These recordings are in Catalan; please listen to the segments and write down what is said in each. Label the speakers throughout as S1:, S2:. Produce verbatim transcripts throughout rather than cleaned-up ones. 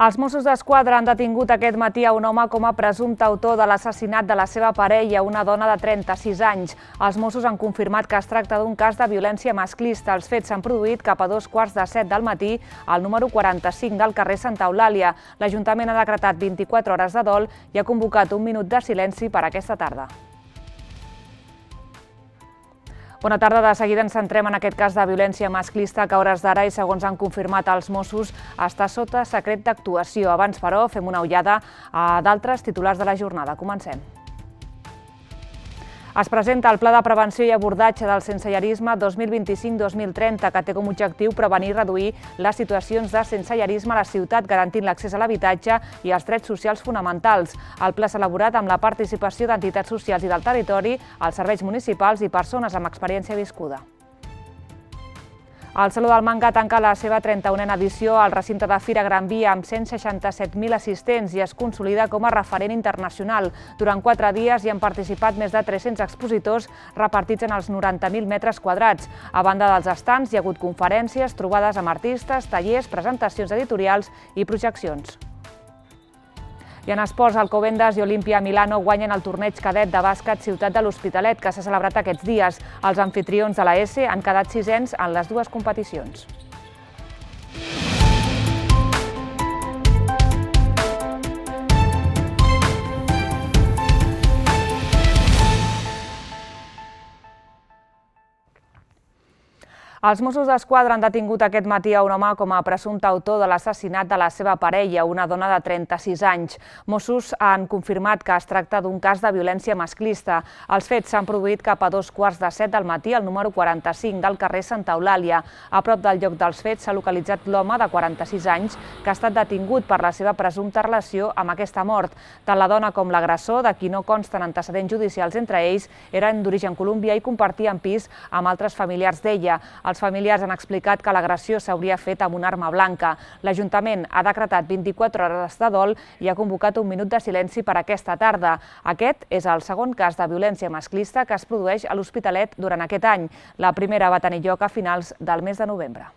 S1: Els Mossos d'Esquadra han detingut aquest matí a un home com a presumpte autor de l'assassinat de la seva parella, una dona de trenta-sis anys. Els Mossos han confirmat que es tracta d'un cas de violència masclista. Els fets s'han produït cap a dos quarts de set del matí al número quaranta-cinc del carrer Santa Eulàlia. L'Ajuntament ha decretat vint-i-quatre hores de dol i ha convocat un minut de silenci per aquesta tarda. Bona tarda. De seguida ens centrem en aquest cas de violència masclista que a hores d'ara, i segons han confirmat els Mossos, està sota secret d'actuació. Abans, però, fem una ullada a d'altres titulars de la jornada. Comencem. Es presenta el Pla de Prevenció i Abordatge del Sensellarisme dos mil vint-i-cinc dos mil trenta, que té com a objectiu prevenir i reduir les situacions de sensellarisme a la ciutat, garantint l'accés a l'habitatge i els drets socials fonamentals. El pla s'ha elaborat amb la participació d'entitats socials i del territori, els serveis municipals i persones amb experiència viscuda. El Saló del Manga tanca la seva trenta-unena edició al recinte de Fira Gran Via amb cent seixanta-set mil assistents i es consolida com a referent internacional. Durant quatre dies hi han participat més de tres-cents expositors repartits en els noranta mil metres quadrats. A banda dels estants hi ha hagut conferències, trobades amb artistes, tallers, presentacions editorials i projeccions. I en esports, Alcobendas i Olimpia Milano guanyen el torneig cadet de bàsquet Ciutat de l'Hospitalet, que s'ha celebrat aquests dies. Els amfitrions de la ESE han quedat sisens en les dues competicions. Els Mossos d'Esquadra han detingut aquest matí a un home com a presumpte autor de l'assassinat de la seva parella, una dona de trenta-sis anys. Mossos han confirmat que es tracta d'un cas de violència masclista. Els fets s'han produït cap a dos quarts de set del matí al número quaranta-cinc del carrer Santa Eulàlia. A prop del lloc dels fets s'ha localitzat l'home de quaranta-sis anys que ha estat detingut per la seva presumpta relació amb aquesta mort. Tant la dona com l'agressor, de qui no consten antecedents judicials entre ells, eren d'origen colombià i compartien pis amb altres familiars d'ella. Els familiars han explicat que l'agressió s'hauria fet amb una arma blanca. L'Ajuntament ha decretat vint-i-quatre hores de dol i ha convocat un minut de silenci per aquesta tarda. Aquest és el segon cas de violència masclista que es produeix a l'Hospitalet durant aquest any. La primera va tenir lloc a finals del mes de novembre.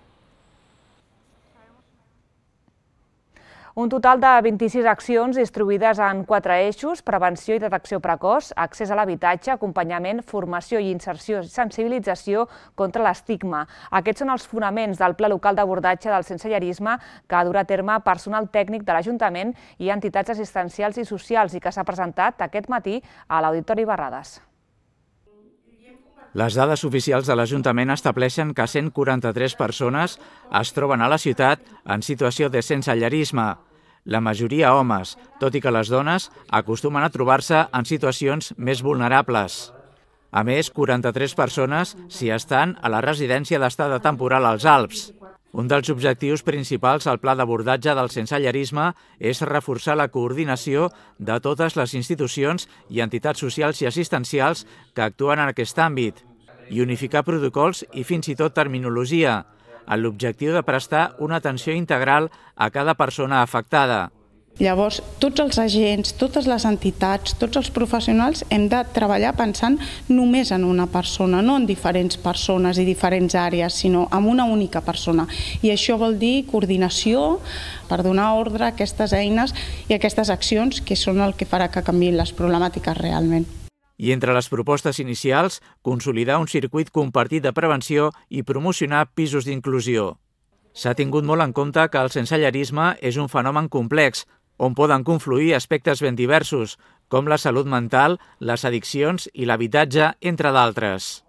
S1: Un total de vint-i-sis accions distribuïdes en quatre eixos: prevenció i detecció precoç, accés a l'habitatge, acompanyament, formació i inserció i sensibilització contra l'estigma. Aquests són els fonaments del Pla Local d'Abordatge del Sensellarisme que durà a terme personal tècnic de l'Ajuntament i entitats assistencials i socials i que s'ha presentat aquest matí a l'Auditori Barrades.
S2: Les dades oficials de l'Ajuntament estableixen que cent quaranta-tres persones es troben a la ciutat en situació de sensellarisme. La majoria homes, tot i que les dones acostumen a trobar-se en situacions més vulnerables. A més, quaranta-tres persones s'hi estan a la residència d'estada temporal als Alps. Un dels objectius principals al Pla d'abordatge del sensellarisme és reforçar la coordinació de totes les institucions i entitats socials i assistencials que actuen en aquest àmbit i unificar protocols i fins i tot terminologia, amb l'objectiu de prestar una atenció integral a cada persona afectada.
S3: Llavors, tots els agents, totes les entitats, tots els professionals hem de treballar pensant només en una persona, no en diferents persones i diferents àrees, sinó en una única persona. I això vol dir coordinació per donar ordre a aquestes eines i a aquestes accions que són el que farà que canviïn les problemàtiques realment.
S2: I entre les propostes inicials, consolidar un circuit compartit de prevenció i promocionar pisos d'inclusió. S'ha tingut molt en compte que el sensellarisme és un fenomen complex, on poden confluir aspectes ben diversos, com la salut mental, les addiccions i l'habitatge, entre d'altres.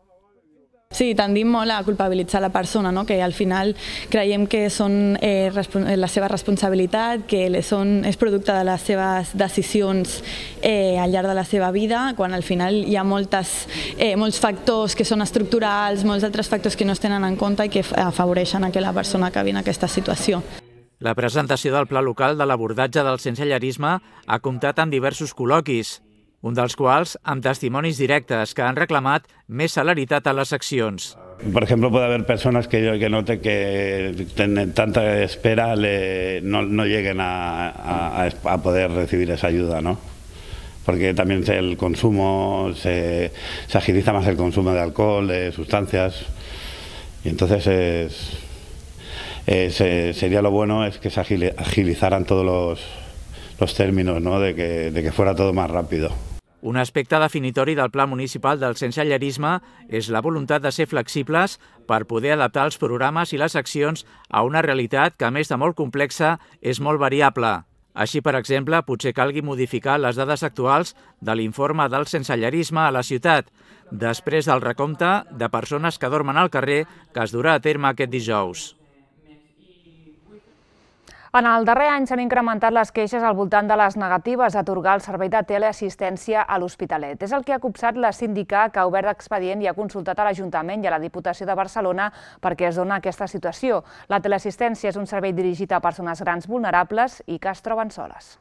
S4: Sí, tendim molt a culpabilitzar la persona, no? Que al final creiem que són eh, la seva responsabilitat, que són, és producte de les seves decisions eh, al llarg de la seva vida, quan al final hi ha moltes, eh, molts factors que són estructurals, molts altres factors que no es tenen en compte i que afavoreixen que la persona acabi en aquesta situació.
S2: La presentació del Pla Local de l'Abordatge del Sensellarisme ha comptat amb diversos col·loquis, un dels quals amb testimonis directes que han reclamat més celeritat a les accions.
S5: Por ejemplo, puede haber personas que, que noten que tienen tanta espera, le, no, no lleguen a, a, a poder recibir esa ayuda, ¿no? Porque también el consumo, se, se agiliza más el consumo de alcohol, de sustancias, y entonces es... eh, se, sería lo bueno es que se agilizaran todos los, los términos, ¿no? de, que, de que fuera todo más rápido.
S2: Un aspecte definitori del Pla Municipal del sensellarisme és la voluntat de ser flexibles per poder adaptar els programes i les accions a una realitat que, a més de molt complexa, és molt variable. Així, per exemple, potser calgui modificar les dades actuals de l'informe del sensellarisme a la ciutat, després del recompte de persones que dormen al carrer que es durà a terme aquest dijous.
S1: En el darrer any s'han incrementat les queixes al voltant de les negatives a atorgar el servei de teleassistència a l'Hospitalet. És el que ha copsat la síndica, que ha obert expedient i ha consultat a l'Ajuntament i a la Diputació de Barcelona perquè es dona aquesta situació. La teleassistència és un servei dirigit a persones grans vulnerables i que es troben soles.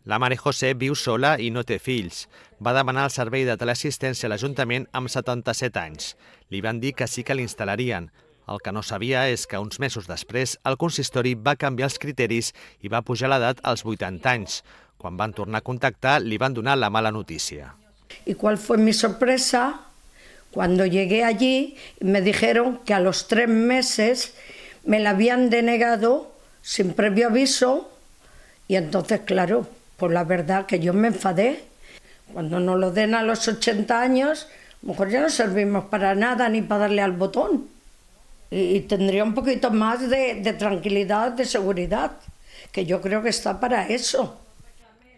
S6: La Mare José viu sola i no té fills. Va demanar el servei de teleassistència a l'Ajuntament amb setanta-set anys. Li van dir que sí que l'instal·larien. El que no sabia és que uns mesos després el consistori va canviar els criteris i va pujar l'edat als vuitanta anys. Quan van tornar a contactar, li van donar la mala notícia.
S7: ¿Y cuál fue mi sorpresa? Cuando llegué allí me dijeron que a los tres meses me la habían denegado sin previo aviso y entonces, claro, pues la verdad que yo me enfadé. Cuando nos lo den a los ochenta años, a lo mejor ya no servimos para nada ni para darle al botón. Y tendría un poquito más de, de tranquilidad, de seguridad, que yo creo que está para eso.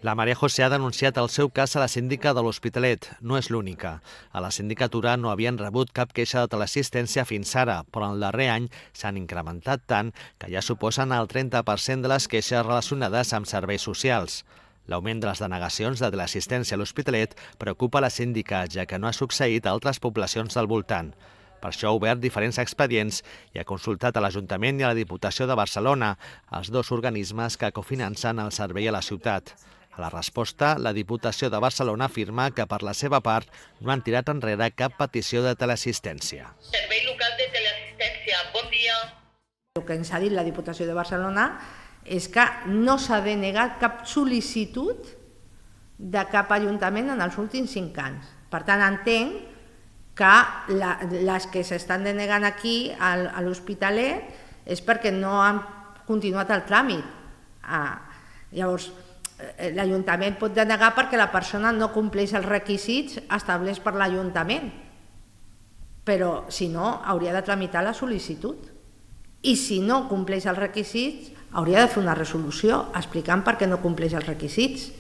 S6: La Maria José ha denunciat el seu cas a la síndica de l'Hospitalet. No és l'única. A la sindicatura no havien rebut cap queixa de teleassistència fins ara, però en el darrer any s'han incrementat tant que ja suposen el trenta per cent de les queixes relacionades amb serveis socials. L'augment de les denegacions de teleassistència a l'Hospitalet preocupa la síndica, ja que no ha succeït a altres poblacions del voltant. Per això ha obert diferents expedients i ha consultat a l'Ajuntament i a la Diputació de Barcelona, els dos organismes que cofinancen el servei a la ciutat. A la resposta, la Diputació de Barcelona afirma que per la seva part no han tirat enrere cap petició de teleassistència.
S8: Servei local de teleassistència, bon dia.
S9: El que ens ha dit la Diputació de Barcelona és que no s'ha denegat cap sol·licitud de cap ajuntament en els últims cinc anys. Per tant, entenc que la, les que s'estan denegant aquí a, a l'Hospitalet és perquè no han continuat el tràmit. Ah, llavors, l'Ajuntament pot denegar perquè la persona no compleix els requisits establerts per l'Ajuntament, però si no, hauria de tramitar la sol·licitud. I si no compleix els requisits, hauria de fer una resolució explicant per què no compleix els requisits.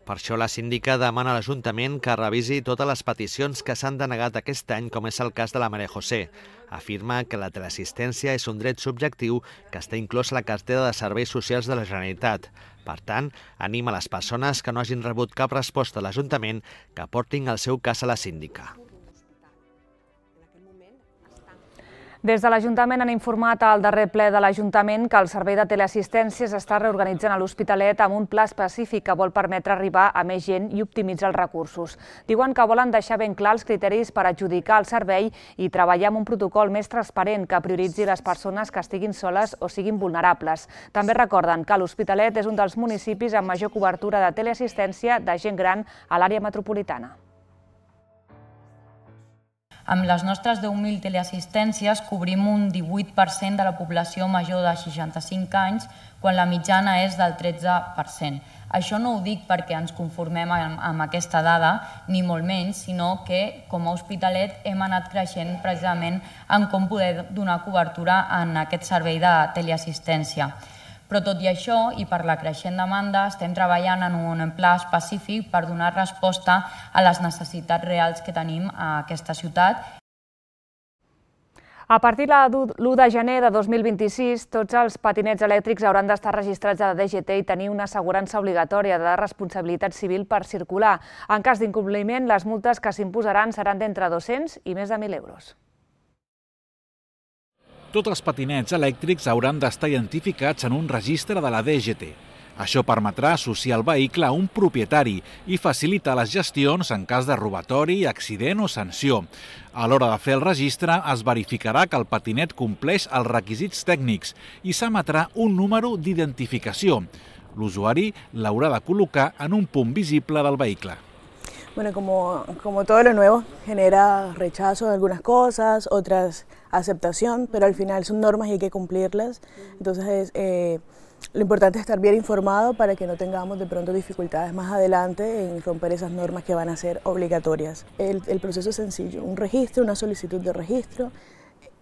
S6: Per això la síndica demana a l'Ajuntament que revisi totes les peticions que s'han denegat aquest any, com és el cas de la Maria José. Afirma que la teleassistència és un dret subjectiu que està inclòs a la cartera de serveis socials de la Generalitat. Per tant, anima les persones que no hagin rebut cap resposta a l'Ajuntament que portin el seu cas a la síndica.
S1: Des de l'Ajuntament han informat al darrer ple de l'Ajuntament que el servei de teleassistència s'està reorganitzant a l'Hospitalet amb un pla específic que vol permetre arribar a més gent i optimitzar els recursos. Diuen que volen deixar ben clar els criteris per adjudicar el servei i treballar amb un protocol més transparent que prioritzi les persones que estiguin soles o siguin vulnerables. També recorden que l'Hospitalet és un dels municipis amb major cobertura de teleassistència de gent gran a l'àrea metropolitana.
S10: Amb les nostres deu mil teleassistències cobrim un divuit per cent de la població major de seixanta-cinc anys, quan la mitjana és del tretze per cent. Això no ho dic perquè ens conformem amb aquesta dada, ni molt menys, sinó que com a Hospitalet hem anat creixent precisament en com poder donar cobertura en aquest servei de teleassistència. Però tot i això, i per la creixent demanda, estem treballant en un pla específic per donar resposta a les necessitats reals que tenim a aquesta ciutat.
S1: A partir de l'u de gener de dos mil vint-i-sis, tots els patinets elèctrics hauran d'estar registrats a la D G T i tenir una assegurança obligatòria de responsabilitat civil per circular. En cas d'incompliment, les multes que s'imposaran seran d'entre dos-cents i més de mil euros.
S11: Tots els patinets elèctrics hauran d'estar identificats en un registre de la D G T. Això permetrà associar el vehicle a un propietari i facilitar les gestions en cas de robatori, accident o sanció. A l'hora de fer el registre es verificarà que el patinet compleix els requisits tècnics i s'emetrà un número d'identificació. L'usuari l'haurà de col·locar en un punt visible del vehicle.
S12: Bueno, como, como todo lo nuevo, genera rechazo de algunas cosas, otras aceptación, pero al final son normas y hay que cumplirlas. Entonces, eh, lo importante es estar bien informado para que no tengamos de pronto dificultades más adelante en romper esas normas que van a ser obligatorias. El, el proceso es sencillo, un registro, una solicitud de registro,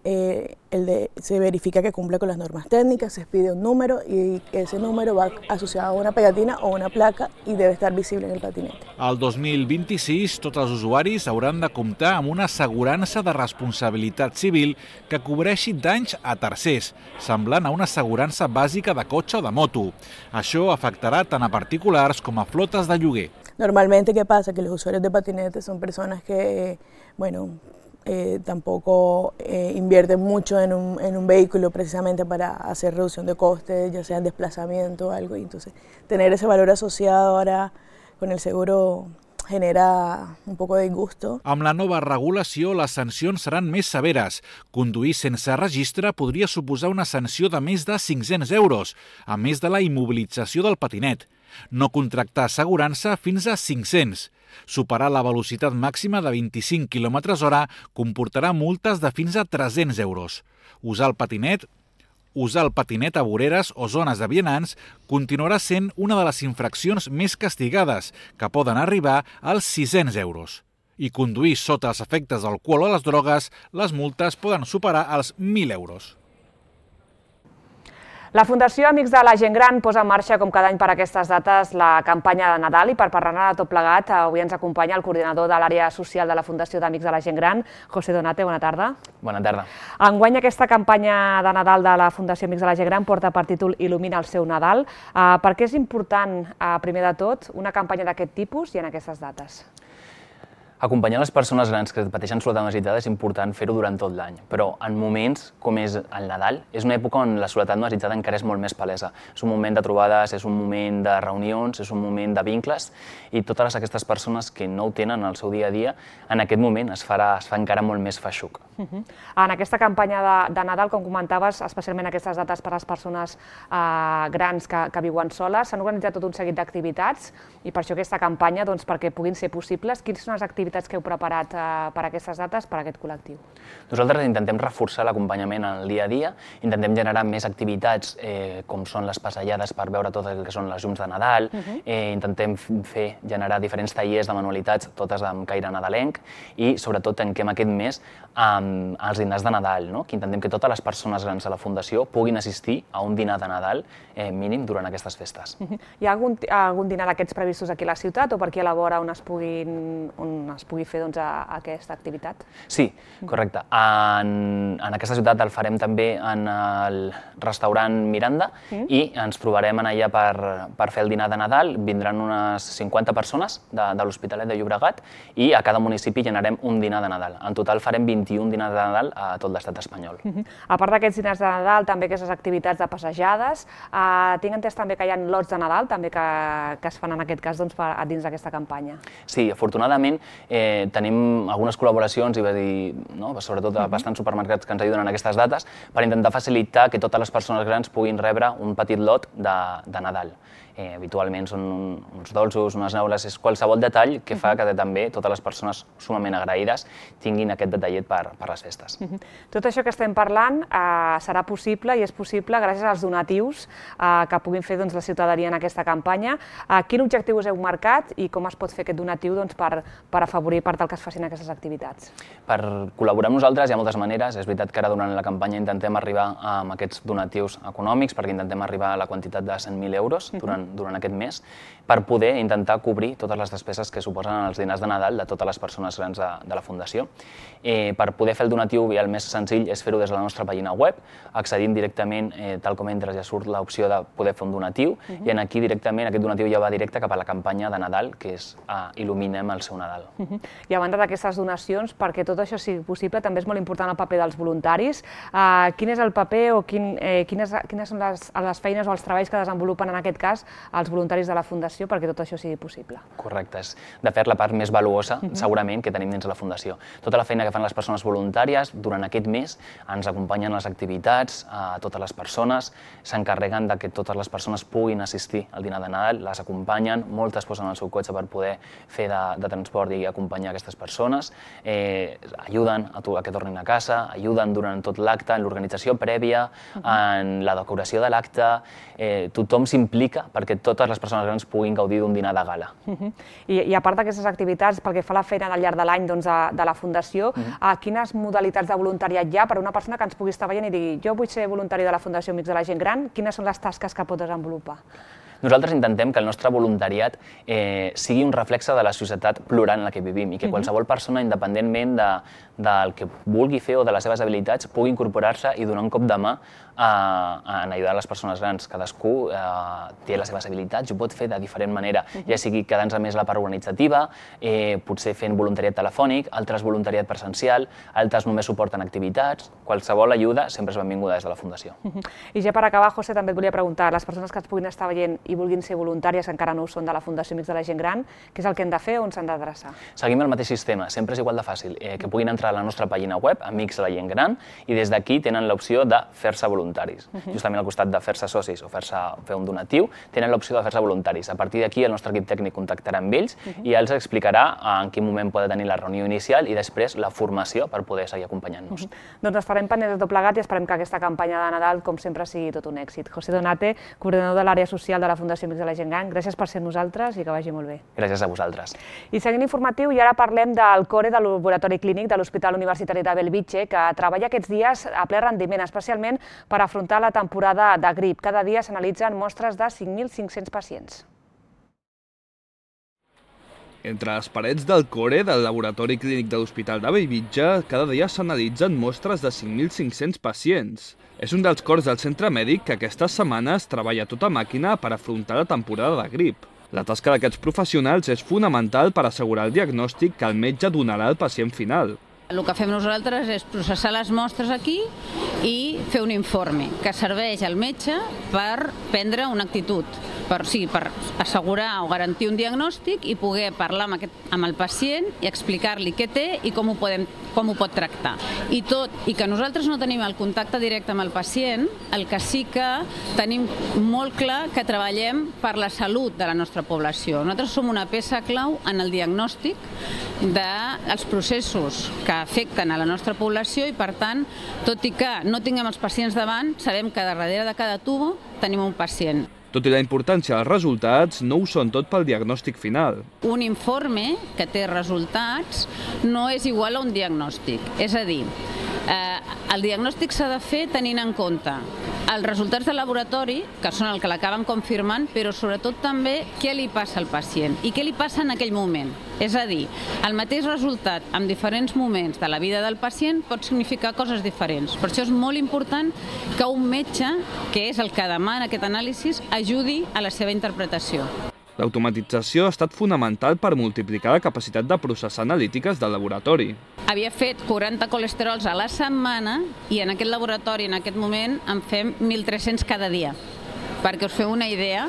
S12: eh, el de, se verifica que cumpla con las normas técnicas, se expide un número y ese número va asociado a una pegatina o una placa i debe estar visible en el patinete.
S11: El dos mil vint-i-sis, tots els usuaris hauran de comptar amb una assegurança de responsabilitat civil que cobreixi danys a tercers, semblant a una assegurança bàsica de cotxe o de moto. Això afectarà tant a particulars com a flotes de lloguer.
S12: Normalmente, ¿qué pasa? Que los usuarios de patinetes son personas que, bueno, Eh, tampoco eh, invierten mucho en un, en un vehículo precisamente para hacer reducción de costes, ya sea en desplazamiento o algo, y entonces tener ese valor asociado ahora con el seguro genera un poco de disgusto.
S11: Amb la nova regulació, les sancions seran més severes. Conduir sense registre podria suposar una sanció de més de cinc-cents euros, a més de la immobilització del patinet. No contractar assegurança fins a cinc-cents. Superar la velocitat màxima de vint-i-cinc quilòmetres hora comportarà multes de fins a tres-cents euros. Usar el patinet Usar el patinet a voreres o zones de vianants continuarà sent una de les infraccions més castigades, que poden arribar als sis-cents euros. I conduir sota els efectes d'alcohol o les drogues, les multes poden superar els mil euros.
S1: La Fundació Amics de la Gent Gran posa en marxa, com cada any per aquestes dates, la campanya de Nadal i per parlar-ne de tot plegat, avui ens acompanya el coordinador de l'àrea social de la Fundació d'Amics de la Gent Gran, José Donate, bona tarda.
S13: Bona tarda.
S1: Enguany aquesta campanya de Nadal de la Fundació Amics de la Gent Gran porta per títol Il·lumina el seu Nadal. Per què és important, primer de tot, una campanya d'aquest tipus i en aquestes dates?
S13: Acompanyar les persones grans que pateixen soledat necessitada és important fer-ho durant tot l'any, però en moments com és el Nadal, és una època on la soledat necessitada encara és molt més palesa. És un moment de trobades, és un moment de reunions, és un moment de vincles, i totes aquestes persones que no ho tenen al seu dia a dia, en aquest moment es farà, es fa encara molt més feixuc.
S1: Uh-huh. En aquesta campanya de, de Nadal, com comentaves, especialment aquestes dates per a les persones eh, grans que, que viuen soles, s'han organitzat tot un seguit d'activitats, i per això aquesta campanya, doncs, perquè puguin ser possibles, quines són les activitats que heu preparat eh, per aquestes dates, per a aquest col·lectiu?
S13: Nosaltres intentem reforçar l'acompanyament en el dia a dia, intentem generar més activitats eh, com són les passejades per veure tot el que són les llums de Nadal, uh-huh. eh, intentem fer, generar diferents tallers de manualitats, totes amb caire nadalenc, i sobretot tanquem aquest mes amb els dinars de Nadal, no? Que intentem que totes les persones grans de la Fundació puguin assistir a un dinar de Nadal eh, mínim durant aquestes festes.
S1: Uh-huh. Hi ha algun, algun dinar d'aquests previstos aquí a la ciutat o per aquí a la vora on es, puguin, on es pugui fer doncs, a, a aquesta activitat?
S13: Sí, correcte. En, en aquesta ciutat el farem també en el restaurant Miranda mm. i ens trobarem en allà per, per fer el dinar de Nadal. Vindran unes cinquanta persones de, de l'Hospitalet de Llobregat i a cada municipi generarem un dinar de Nadal. En total farem vint-i-un dinars de Nadal a tot l'estat espanyol. Mm
S1: -hmm. A part d'aquests dinars de Nadal, també aquestes activitats de passejades, eh, tinc entès també que hi ha lots de Nadal també que, que es fan en aquest cas doncs, per, dins d'aquesta campanya.
S13: Sí, afortunadament eh, tenim algunes col·laboracions i va dir, no, sobretot a bastants supermercats que ens ajuden en aquestes dates per intentar facilitar que totes les persones grans puguin rebre un petit lot de, de Nadal. Eh, habitualment són un, uns dolços, unes neules, és qualsevol detall que fa que també totes les persones sumament agraïdes tinguin aquest detallet per, per les festes.
S1: Uh-huh. Tot això que estem parlant eh, serà possible i és possible gràcies als donatius eh, que puguin fer doncs, la ciutadania en aquesta campanya. Eh, quin objectiu us heu marcat i com es pot fer aquest donatiu doncs, per, per afavorir per tal que es facin aquestes activitats?
S13: Per col·laborar amb nosaltres hi ha moltes maneres. És veritat que ara durant la campanya intentem arribar amb aquests donatius econòmics perquè intentem arribar a la quantitat de cent mil euros durant durant aquest mes, per poder intentar cobrir totes les despeses que suposen els dinars de Nadal de totes les persones grans de, de la Fundació. Eh, per poder fer el donatiu, el més senzill és fer-ho des de la nostra pàgina web, accedint directament, eh, tal com entres ja surt l'opció de poder fer un donatiu, uh-huh. i en aquí directament aquest donatiu ja va directe cap a la campanya de Nadal, que és eh, Il·luminem el seu Nadal.
S1: Uh-huh. I a banda d'aquestes donacions, perquè tot això sigui possible, també és molt important el paper dels voluntaris. Uh, quin és el paper o quin, eh, quines, quines són les, les feines o els treballs que desenvolupen en aquest cas als voluntaris de la Fundació perquè tot això sigui possible.
S13: Correcte, és de fet la part més valuosa, segurament, que tenim dins de la Fundació. Tota la feina que fan les persones voluntàries durant aquest mes ens acompanyen les activitats a totes les persones, s'encarreguen de que totes les persones puguin assistir al dinar de Nadal, les acompanyen, moltes posen el seu cotxe per poder fer de, de transport i acompanyar aquestes persones, eh, ajuden a, a que tornin a casa, ajuden durant tot l'acte, en l'organització prèvia, en la decoració de l'acte, eh, tothom s'implica perquè totes les persones grans puguin gaudir d'un dinar de gala.
S1: I, i a part d'aquestes activitats, pel que fa a la feina al llarg de l'any doncs, de, de la Fundació, a quines modalitats de voluntariat hi ha per a una persona que ens pugui estar veient i digui jo vull ser voluntari de la Fundació Amics de la Gent Gran, quines són les tasques que pot desenvolupar?
S13: Nosaltres intentem que el nostre voluntariat eh, sigui un reflexe de la societat plural en la que vivim i que qualsevol persona, independentment de, del que vulgui fer o de les seves habilitats, pugui incorporar-se i donar un cop de mà a, a ajudar les persones grans. Cadascú eh, té les seves habilitats i ho pot fer de diferent manera, ja sigui quedant-se més la part organitzativa, eh, potser fent voluntariat telefònic, altres voluntariat presencial, altres només suporten activitats, qualsevol ajuda sempre és benvinguda des de la Fundació.
S1: I ja per acabar, José, també et volia preguntar, les persones que ens puguin estar veient i vulguin ser voluntàries, que encara no ho són, de la Fundació Amics de la Gent Gran, què és el que han de fer o on s'han d'adreçar?
S13: Seguim el mateix sistema, sempre és igual de fàcil, eh, que puguin entrar a la nostra pàgina web, Amics de la Gent Gran, i des d'aquí tenen l'opció de fer-se voluntaris. Justament al costat de fer-se socis o fer-se fer un donatiu, tenen l'opció de fer-se voluntaris. A partir d'aquí el nostre equip tècnic contactarà amb ells i els explicarà en quin moment poden tenir la reunió inicial i després la formació per poder seguir acompanyant-nos.
S1: Doncs estarem pendents de tot plegat i esperem que aquesta campanya de Nadal, com sempre, sigui tot un èxit. José Donate, coordinador de l'àrea social de la Fundació Amics de la Gent Gran, gràcies per ser amb nosaltres i que vagi molt bé.
S13: Gràcies a vosaltres.
S1: I seguint l'informatiu, i ara parlem del CORE, del Laboratori Clínic de l'Hospital Universitari de Bellvitge, que treballa aquests dies a ple rendiment, especialment per afrontar la temporada de grip. Cada dia s'analitzen mostres de cinc mil cinc-cents pacients.
S14: Entre les parets del CORE del Laboratori Clínic de l'Hospital de Bellvitge, cada dia s'analitzen mostres de cinc mil cinc-cents pacients. És un dels cors del centre mèdic que aquestes setmanes treballa a tota màquina per afrontar la temporada de grip. La tasca d'aquests professionals és fonamental per assegurar el diagnòstic que el metge donarà al pacient final.
S15: El que fem nosaltres és processar les mostres aquí i fer un informe que serveix al metge per prendre una actitud, per, sí, per assegurar o garantir un diagnòstic i poder parlar amb, aquest, amb el pacient i explicar-li què té i com ho, podem, com ho pot tractar. I tot, i que nosaltres no tenim el contacte directe amb el pacient, el que sí que tenim molt clar que treballem per la salut de la nostra població. Nosaltres som una peça clau en el diagnòstic dels processos que afecten a la nostra població i, per tant, tot i que no tinguem els pacients davant, sabem que darrere de cada tubo tenim un pacient.
S14: Tot i la importància dels resultats, no ho són tot pel diagnòstic final.
S15: Un informe que té resultats no és igual a un diagnòstic. És a dir, eh, el diagnòstic s'ha de fer tenint en compte els resultats del laboratori, que són el que l'acaben confirmant, però sobretot també què li passa al pacient i què li passa en aquell moment. És a dir, el mateix resultat en diferents moments de la vida del pacient pot significar coses diferents. Per això és molt important que un metge, que és el que demana aquest anàlisi, ajudi a la seva interpretació.
S14: L'automatització ha estat fonamental per multiplicar la capacitat de processar analítiques del laboratori.
S15: Havia fet quaranta colesterols a la setmana i en aquest laboratori, en aquest moment, en fem mil tres-cents cada dia. Perquè us feu una idea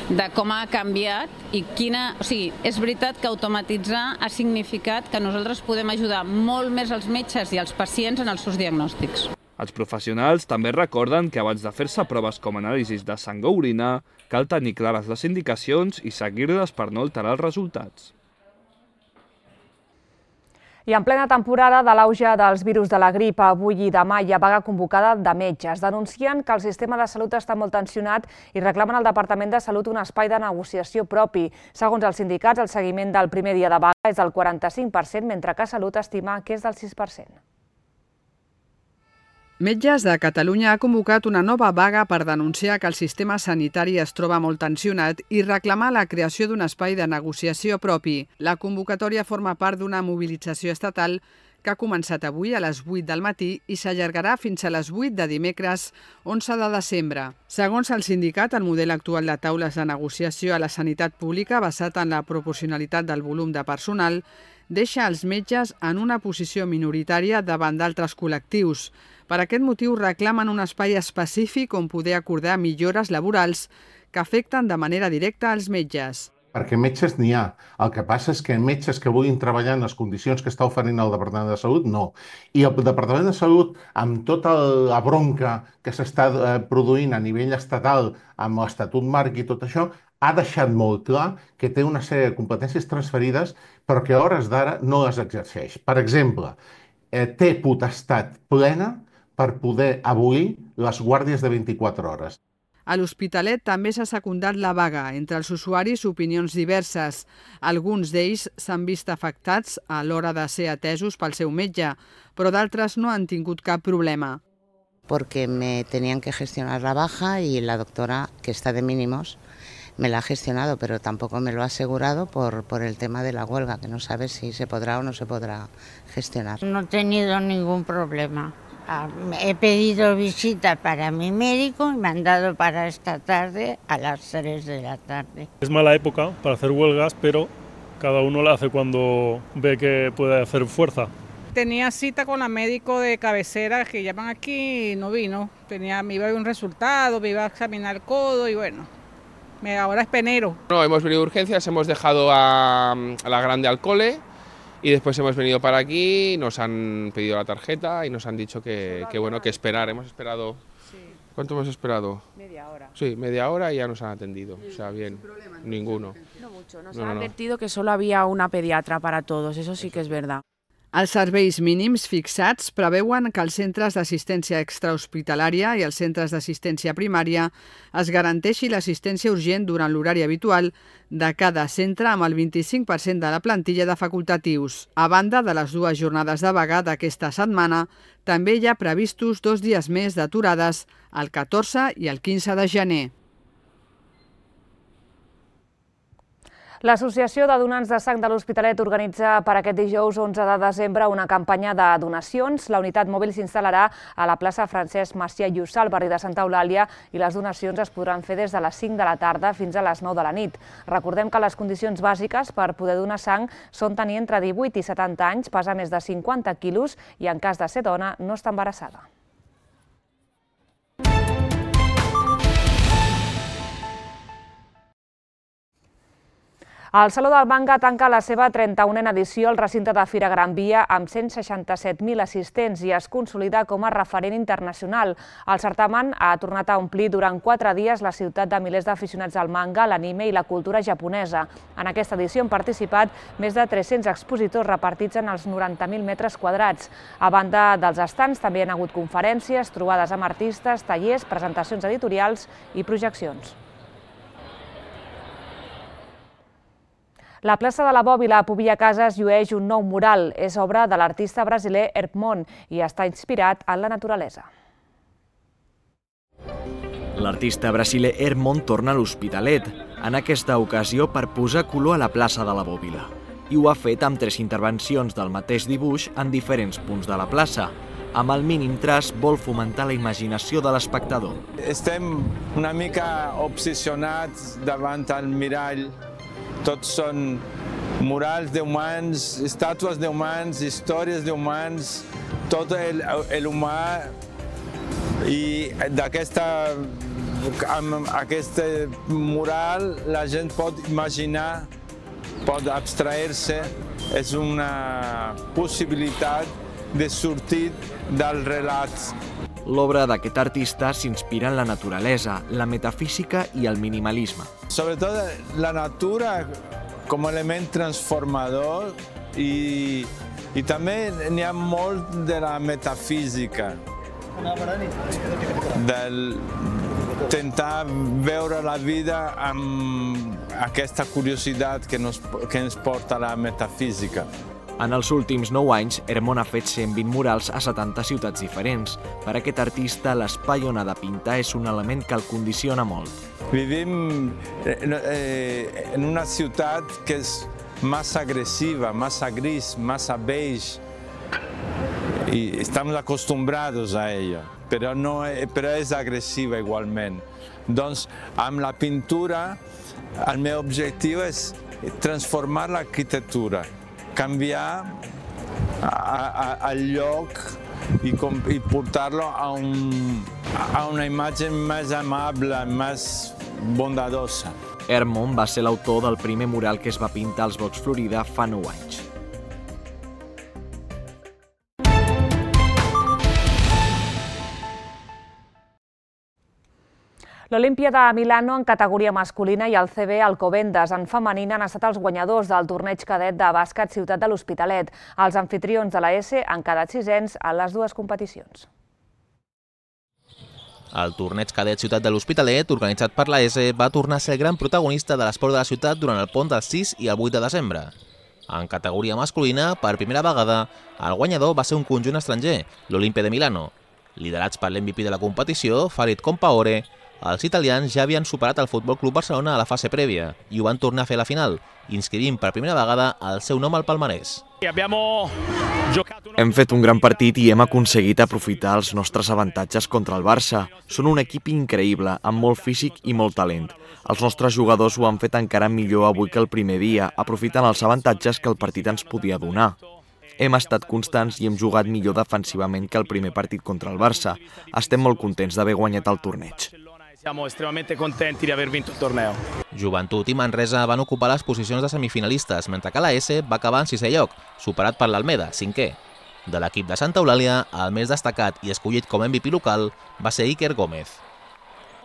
S15: de com ha canviat i quina... O sigui, és veritat que automatitzar ha significat que nosaltres podem ajudar molt més als metges i als pacients en els seus diagnòstics.
S14: Els professionals també recorden que abans de fer-se proves com anàlisis de sang o orina, cal tenir clares les indicacions i seguir-les per no alterar els resultats.
S1: I en plena temporada de l'auge dels virus de la grip, avui i demà hi ha vaga convocada de metges. Denuncien que el sistema de salut està molt tensionat i reclamen al Departament de Salut un espai de negociació propi. Segons els sindicats, el seguiment del primer dia de vaga és del quaranta-cinc per cent, mentre que Salut estima que és del sis per cent.
S16: Metges de Catalunya ha convocat una nova vaga per denunciar que el sistema sanitari es troba molt tensionat i reclamar la creació d'un espai de negociació propi. La convocatòria forma part d'una mobilització estatal que ha començat avui a les vuit del matí i s'allargarà fins a les vuit de dimecres, onze de desembre. Segons el sindicat, el model actual de taules de negociació a la sanitat pública, basat en la proporcionalitat del volum de personal, deixa els metges en una posició minoritària davant d'altres col·lectius. Per aquest motiu reclamen un espai específic on poder acordar millores laborals que afecten de manera directa als metges.
S17: Perquè metges n'hi ha. El que passa és que metges que vulguin treballar en les condicions que està oferint el Departament de Salut, no. I el Departament de Salut, amb tota la bronca que s'està produint a nivell estatal, amb l'Estatut Marc i tot això, ha deixat molt clar que té una sèrie de competències transferides, però que a hores d'ara no les exerceix. Per exemple, té potestat plena per poder abolir les guàrdies de vint-i-quatre hores.
S16: A l'Hospitalet també s'ha secundat la vaga. Entre els usuaris, opinions diverses. Alguns d'ells s'han vist afectats a l'hora de ser atesos pel seu metge, però d'altres no han tingut cap problema.
S18: Porque me tenían que gestionar la baja y la doctora, que está de mínimos, me la ha gestionado, pero tampoco me lo ha asegurado por, por el tema de la huelga, que no sabe si se podrá o no se podrá gestionar.
S19: No he tenido ningún problema. He pedido visita para mi médico y me han dado para esta tarde a las tres de la tarde.
S20: Es mala época para hacer huelgas, pero cada uno la hace cuando ve que puede hacer fuerza.
S21: Tenía cita con la médico de cabecera que llaman aquí y no vino. Tenía, me iba a ver un resultado, me iba a examinar el codo y bueno, me, ahora es penero.
S22: No, hemos venido de urgencias, hemos dejado a, a la grande al cole. Y después hemos venido para aquí, nos han pedido la tarjeta y nos han dicho que, que bueno, que esperar. Hemos esperado... Sí. ¿Cuánto hemos esperado? Media hora. Sí, media hora y ya nos han atendido. O sea, bien, ninguno.
S23: No mucho, nos han advertido que solo había una pediatra para todos, eso sí que es verdad.
S16: Els serveis mínims fixats preveuen que als centres d'assistència extrahospitalària i als centres d'assistència primària es garanteixi l'assistència urgent durant l'horari habitual de cada centre amb el vint-i-cinc per cent de la plantilla de facultatius. A banda de les dues jornades de vaga d'aquesta setmana, també hi ha previstos dos dies més d'aturades, el catorze i el quinze de gener.
S1: L'Associació de Donants de Sang de l'Hospitalet organitza per aquest dijous onze de desembre una campanya de donacions. La unitat mòbil s'instal·larà a la plaça Francesc Macià Llussà, al barri de Santa Eulàlia, i les donacions es podran fer des de les cinc de la tarda fins a les nou de la nit. Recordem que les condicions bàsiques per poder donar sang són tenir entre divuit i setanta anys, pesar més de cinquanta quilos i, en cas de ser dona, no estar embarassada. El Saló del Manga tanca la seva trenta-unena edició al recinte de Fira Gran Via amb cent seixanta-set mil assistents i es consolida com a referent internacional. El certamen ha tornat a omplir durant quatre dies la ciutat de milers d'aficionats al manga, l'anime i la cultura japonesa. En aquesta edició han participat més de tres-cents expositors repartits en els noranta mil metres quadrats. A banda dels estants també hi ha hagut conferències, trobades amb artistes, tallers, presentacions editorials i projeccions. La plaça de la Bòbila a Pobilla Cases llueix un nou mural. És obra de l'artista brasiler Hermon i està inspirat en la naturalesa.
S24: L'artista brasiler Hermon torna a l'Hospitalet, en aquesta ocasió per posar color a la plaça de la Bòbila. I ho ha fet amb tres intervencions del mateix dibuix en diferents punts de la plaça. Amb el mínim traç vol fomentar la imaginació de l'espectador.
S25: Estem una mica obsessionats davant el mirall. Tots són murals d'humans, estàtues d'humans, històries d'humans, tot l'humà. I d'aquesta, amb aquest mural la gent pot imaginar, pot abstrair-se. És una possibilitat de sortir del relat.
S24: L'obra d'aquest artista s'inspira en la naturalesa, la metafísica i el minimalisme.
S25: Sobretot la natura com a element transformador i, i també n'hi ha molt de la metafísica, del tentar veure la vida amb aquesta curiositat que, nos, que ens porta la metafísica.
S24: En els últims nou anys, Hermon ha fet cent vint murals a setanta ciutats diferents. Per aquest artista, l'espai on ha de pintar és un element que el condiciona molt.
S25: Vivim en una ciutat que és massa agressiva, massa gris, massa beige. I estem acostumbrats a ella, però, no, però és agressiva igualment. Doncs amb la pintura el meu objectiu és transformar l'arquitectura canviar el lloc i portar-lo a una imatge més amable, més bondadosa.
S24: Hermon va ser l'autor del primer mural que es va pintar als Blocs Florida fa nou anys.
S1: L'Olimpia de Milano en categoria masculina i el C B Alcobendas en femenina han estat els guanyadors del torneig cadet de bàsquet Ciutat de l'Hospitalet. Els anfitrions de la S han quedat sisens en les dues competicions.
S2: El torneig cadet Ciutat de l'Hospitalet, organitzat per la S, va tornar a ser el gran protagonista de l'esport de la ciutat durant el pont del sis i el vuit de desembre. En categoria masculina, per primera vegada, el guanyador va ser un conjunt estranger, l'Olimpia de Milano. Liderats per l'M V P de la competició, Farid Compaore, els italians ja havien superat el Futbol Club Barcelona a la fase prèvia i ho van tornar a fer a la final, inscrivint per primera vegada el seu nom al palmarès.
S24: Hem fet un gran partit i hem aconseguit aprofitar els nostres avantatges contra el Barça. Són un equip increïble, amb molt físic i molt talent. Els nostres jugadors ho han fet encara millor avui que el primer dia, aprofitant els avantatges que el partit ens podia donar. Hem estat constants i hem jugat millor defensivament que el primer partit contra el Barça. Estem molt contents d'haver guanyat el torneig.
S3: Siamo estremamente contenti di aver vinto il torneo.
S2: Joventut i Manresa van ocupar les posicions de semifinalistes, mentre que la S va acabar en sisè lloc, superat per l'Almeda, cinquè. De l'equip de Santa Eulàlia, el més destacat i escollit com a M V P local va ser Iker Gómez.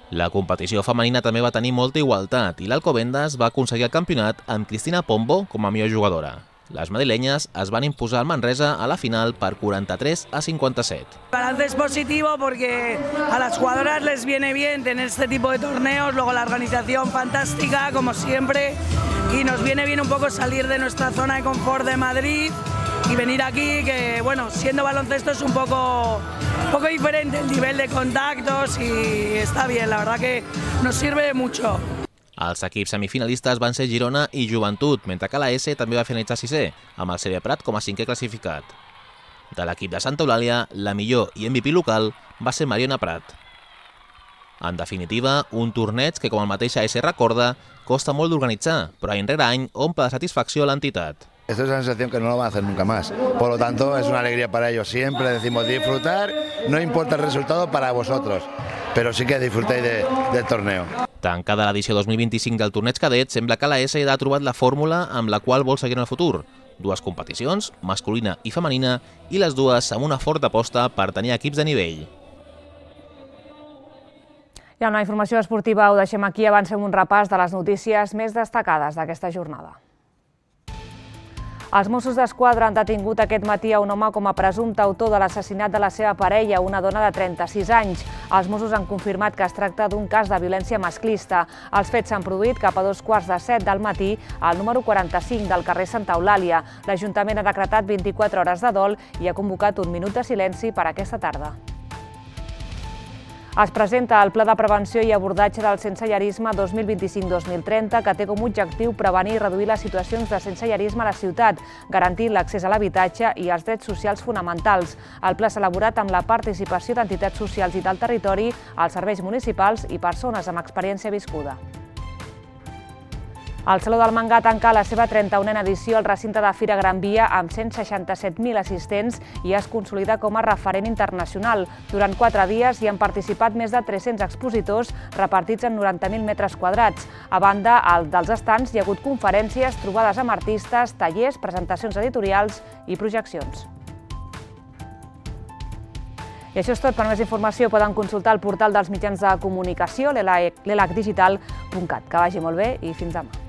S2: La competició femenina també va tenir molta igualtat i l'Alcobendas va aconseguir el campionat amb Cristina Pombo com a millor jugadora. Les madrileñas es van imposar al Manresa a la final per quaranta-tres a cinquanta-set.
S4: El balance es positivo porque a las jugadoras les viene bien tener este tipo de torneos, luego la organización fantástica, como siempre, y nos viene bien un poco salir de nuestra zona de confort de Madrid y venir aquí, que bueno, siendo baloncesto es un poco, un poco diferente el nivel de contactos y está bien, la verdad que nos sirve mucho.
S2: Els equips semifinalistes van ser Girona i Joventut, mentre que la S també va finalitzar sisè, amb el C B Prat com a cinquè classificat. De l'equip de Santa Eulàlia, la millor i M V P local va ser Mariona Prat. En definitiva, un torneig que, com el mateix A S recorda, costa molt d'organitzar, però any rere any omple de satisfacció a l'entitat.
S5: Esta es una sensación que no lo van a hacer nunca más. Por lo tanto, es una alegría para ellos. Siempre decimos disfrutar, no importa el resultado para vosotros, pero sí que disfrutéis de, del torneo.
S2: Tancada l'edició dos mil vint-i-cinc del torneig cadet, sembla que la S ha trobat la fórmula amb la qual vol seguir en el futur. Dues competicions, masculina i femenina, i les dues amb una forta aposta per tenir equips de nivell.
S1: I amb la informació esportiva ho deixem aquí, abans fem un repàs de les notícies més destacades d'aquesta jornada. Els Mossos d'Esquadra han detingut aquest matí a un home com a presumpte autor de l'assassinat de la seva parella, una dona de trenta-sis anys. Els Mossos han confirmat que es tracta d'un cas de violència masclista. Els fets s'han produït cap a dos quarts de set del matí al número quaranta-cinc del carrer Santa Eulàlia. L'Ajuntament ha decretat vint-i-quatre hores de dol i ha convocat un minut de silenci per aquesta tarda. Es presenta el Pla de Prevenció i Abordatge del Sensellarisme dos mil vint-i-cinc dos mil trenta, que té com a objectiu prevenir i reduir les situacions de sensellarisme a la ciutat, garantint l'accés a l'habitatge i els drets socials fonamentals. El pla s'ha elaborat amb la participació d'entitats socials i del territori, els serveis municipals i persones amb experiència viscuda. El Saló del Manga tanca la seva trenta-unena edició al recinte de Fira Gran Via amb cent seixanta-set mil assistents i es consolida com a referent internacional. Durant quatre dies hi han participat més de tres-cents expositors repartits en noranta mil metres quadrats. A banda dels estants hi ha hagut conferències, trobades amb artistes, tallers, presentacions editorials i projeccions. I això és tot. Per més informació poden consultar el portal dels mitjans de comunicació, l'elac digital punt cat. Que vagi molt bé i fins demà.